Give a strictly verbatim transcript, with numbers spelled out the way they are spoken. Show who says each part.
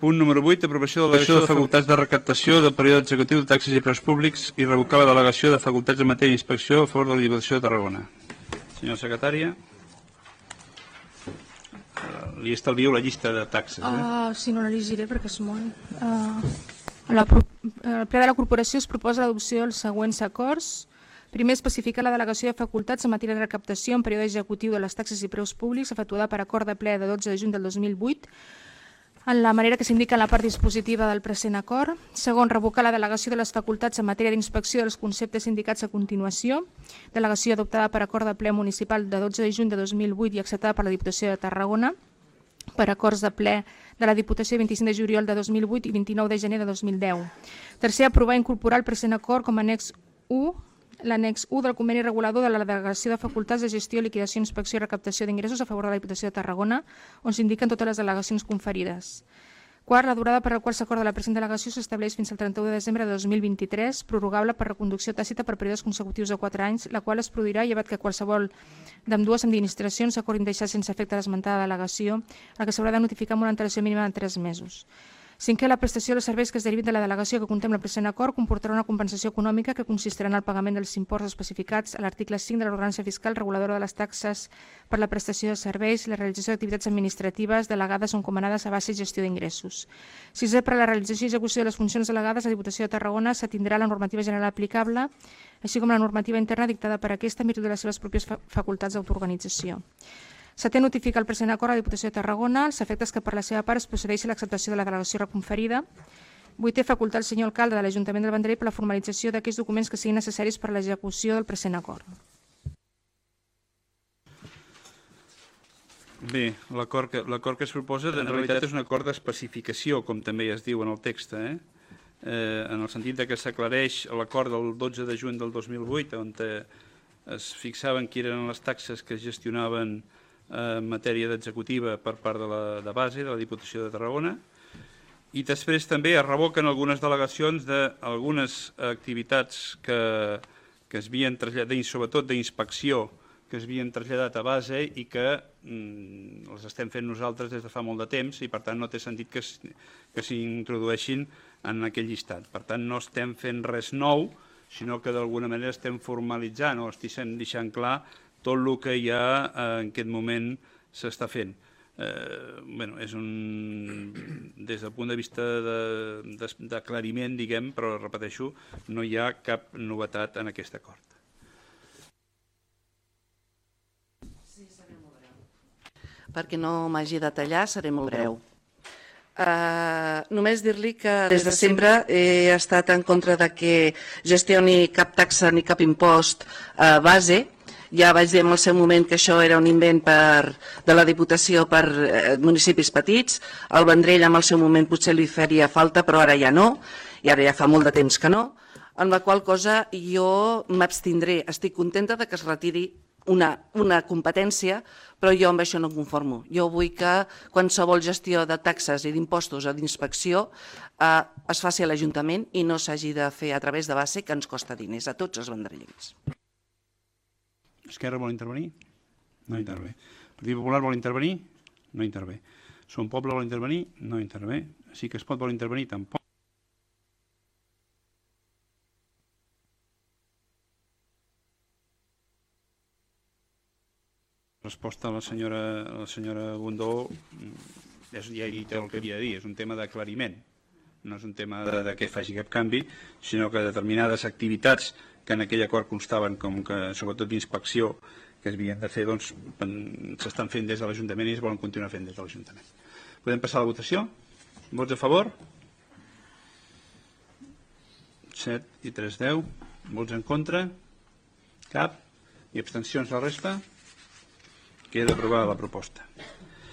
Speaker 1: Punt número vuit, aprovació de la delegació de facultats de recaptació del període executiu de taxes i preus públics i revocar la delegació de facultats en matèria d'inspecció a favor de la Diputació de Tarragona. Senyora secretària, li estalvio la llista de taxes. Eh?
Speaker 2: Uh, sí, no la llegiré perquè és molt. Uh, la, el ple de la corporació es proposa l'adopció dels següents acords. Primer, especificar la delegació de facultats en matèria de recaptació en període executiu de les taxes i preus públics efectuada per acord de ple de dotze de juny del dos mil vuit en la manera que s'indica en la part dispositiva del present acord. Segon, revocar la delegació de les facultats en matèria d'inspecció dels conceptes indicats a continuació. Delegació adoptada per acord de ple municipal de dotze de juny de dos mil vuit i acceptada per la Diputació de Tarragona per acords de ple de la Diputació vint-i-cinc de juliol de dos mil vuit i vint-i-nou de gener de dos mil deu. Tercer, aprovar i incorporar el present acord com a annex u l'annex u del conveni regulador de la delegació de facultats de gestió, liquidació, inspecció i recaptació d'ingressos a favor de la Diputació de Tarragona, on s'indiquen totes les delegacions conferides. Quart, la durada per la qual s'acorda la present delegació s'estableix fins al trenta-u de desembre de dos mil vint-i-tres, prorrogable per reconducció tàcita per períodes consecutius de quatre anys, la qual es produirà llevat que qualsevol d'ambdues administracions s'acordin deixar sense efecte l'esmentada delegació, la que s'haurà de notificar amb una antelació mínima de tres mesos. Cinquè, la prestació dels serveis que es derivin de la delegació que contempla el present acord comportarà una compensació econòmica que consistirà en el pagament dels imports especificats a l'article cinc de l'ordenança fiscal reguladora de les taxes per la prestació de serveis i la realització d'activitats administratives delegades o encomanades a base i gestió d'ingressos. Sisè, per a la realització i execució de les funcions delegades, la Diputació de Tarragona s'atindrà la normativa general aplicable, així com la normativa interna dictada per aquesta en virtut de les seves pròpies facultats d'autoorganització. Setè, notifica el present acord a la Diputació de Tarragona els efectes que per la seva part es procedeixi a l'acceptació de la delegació reconferida. Vuitè, facultar el senyor alcalde de l'Ajuntament del Vendrell per la formalització d'aquells documents que siguin necessaris per a l'execució del present acord.
Speaker 1: Bé, l'acord que, l'acord que es proposa en realitat és un acord d'especificació, com també es diu en el text, eh? Eh, en el sentit de que s'aclareix l'acord del dotze de juny del dos mil vuit, on es fixaven quines eren les taxes que es gestionaven en matèria d'executiva per part de la de base de la Diputació de Tarragona, i després també es revoquen algunes delegacions d'algunes activitats que, que es havien traslladat, sobretot d'inspecció, que es havien traslladat a base i que mm, les estem fent nosaltres des de fa molt de temps i per tant no té sentit que, que s'introdueixin en aquell llistat. Per tant no estem fent res nou, sinó que d'alguna manera estem formalitzant o estem deixant clar tot el que ja en aquest moment s'està fent. Eh, bueno, és un, des del punt de vista d'aclariment, de, de, diguem, però repeteixo, no hi ha cap novetat en aquest acord.
Speaker 3: Sí, seré molt breu. Perquè no m'hagi de tallar, seré molt breu. Uh, només dir-li que des de sempre he estat en contra de que gestioni cap taxa ni cap impost uh, base. Ja vaig dir en el seu moment que això era un invent per, de la Diputació per eh, municipis petits. El Vendrell en el seu moment potser li faria falta, però ara ja no, i ara ja fa molt de temps que no, en la qual cosa jo m'abstindré. Estic contenta de que es retiri una, una competència, però jo amb això no em conformo. Jo vull que qualsevol gestió de taxes i d'impostos o d'inspecció eh, es faci a l'Ajuntament i no s'hagi de fer a través de base, que ens costa diners a tots els vendrellencs.
Speaker 1: Esquerra vol intervenir? No intervé. Partit Popular vol intervenir? No intervé. Som Poble vol intervenir? No intervé. Sí que es pot vol intervenir? Tampoc. Resposta a la senyora, a la senyora Gondó, és, ja hi té el que havia de dir, és un tema d'aclariment. No és un tema de, de què faci cap canvi, sinó que determinades activitats que en aquell acord constaven com que, sobretot d'inspecció, que es havien de fer, doncs, s'estan fent des de l'Ajuntament i es volen continuar fent des de l'Ajuntament. Podem passar a la votació? Vots a favor? set i tres, deu. Vots en contra? Cap. I abstencions la resta? Queda aprovada la proposta.